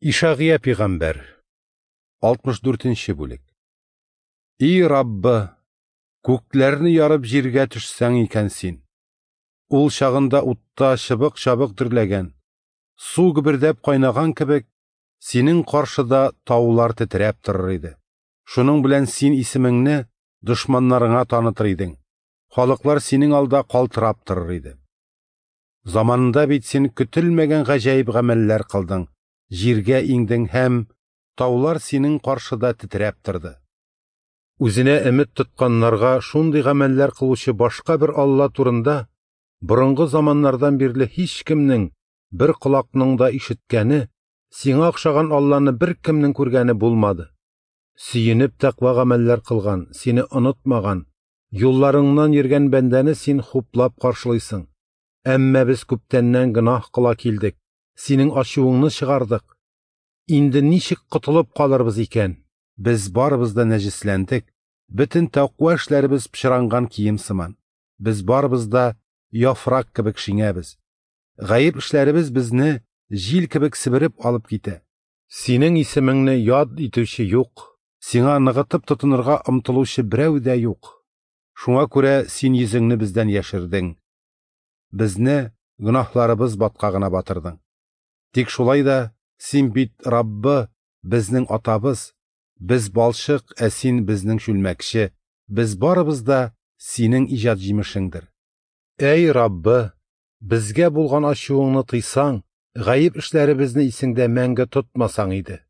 Ишагыя пигамбәр, 64 нче бүлек. И Раббы, күкләрне ярып җиргә төшсәң икән син! Ул чагында утта чыбык-чабык дөрләгән, су гөбердәп кайнаган кебек, синең каршыда таулар тетрәп торыр иде. Шуның белән син исемеңне дошманнарыңа танытыр идең, халыклар синең алда калтырап торыр иде. Заманында бит син көтелмәгән гаҗәеп гамәлләр кылдың, җиргә иңдең һәм таулар синең каршыда тетрәп торды. Үзенә өмет тотканнарга шундый гамәлләр кылучы башка бер Алла турында борынгы заманнардан бирле һичкемнең, бер колакның да ишеткәне, сиңа охшаган Алланы беркемнең күргәне булмады. Сөенеп тәкъва гамәлләр кылган, сине онытмаган, юлларыңнан йөргән бәндәне син хуплап каршылыйсың. Әмма без күптәннән гөнаһ кыла килдек, синең ачуыңны чыгардык. Инде ничек котылып калырбыз икән? Без барыбыз да нәҗесләндек, бөтен тәкъва эшләребез пычранган кием сыман. Без барыбыз да яфрак кебек шиңәбез. Гаеп эшләребез безне җил кебек себереп алып китә. Синең исемеңне яд итүче юк, сиңа ныгытып тотынырга омтылучы берәү дә юк. Шуңа күрә син йөзеңне бездән яшердең. Безне гөнаһларыбыз баткагына батырдың. Тик шулай да син бит Раббы, безнең атабыз, без балчык, ә син безнең чүлмәкче, без барыбыз да синең иҗат җимешеңдер. Әй Раббы, безгә булган ачуыңны тыйсаң, гаеп эшләребезне исеңдә мәңге тотмасаң иде.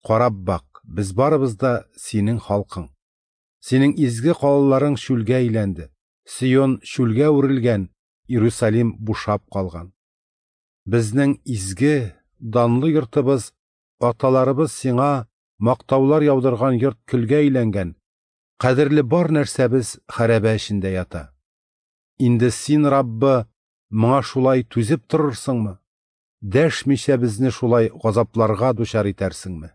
Карап бак, без барыбыз да синең халкың. Синең изге калаларың чүлгә әйләнде, Сион чүлгә үрелгән, Иерусалим бушап калган. Безнең изге, данлы йортыбыз, аталарыбыз сиңа мактаулар яудырган йорт көлгә әйләнгән, кадерле бар нәрсәбез хәрабә эчендә ята. Инде син, Раббы, моңа шулай түзеп торырсыңмы? Дәшмичә безне шулай газапларга дучар итәрсеңме?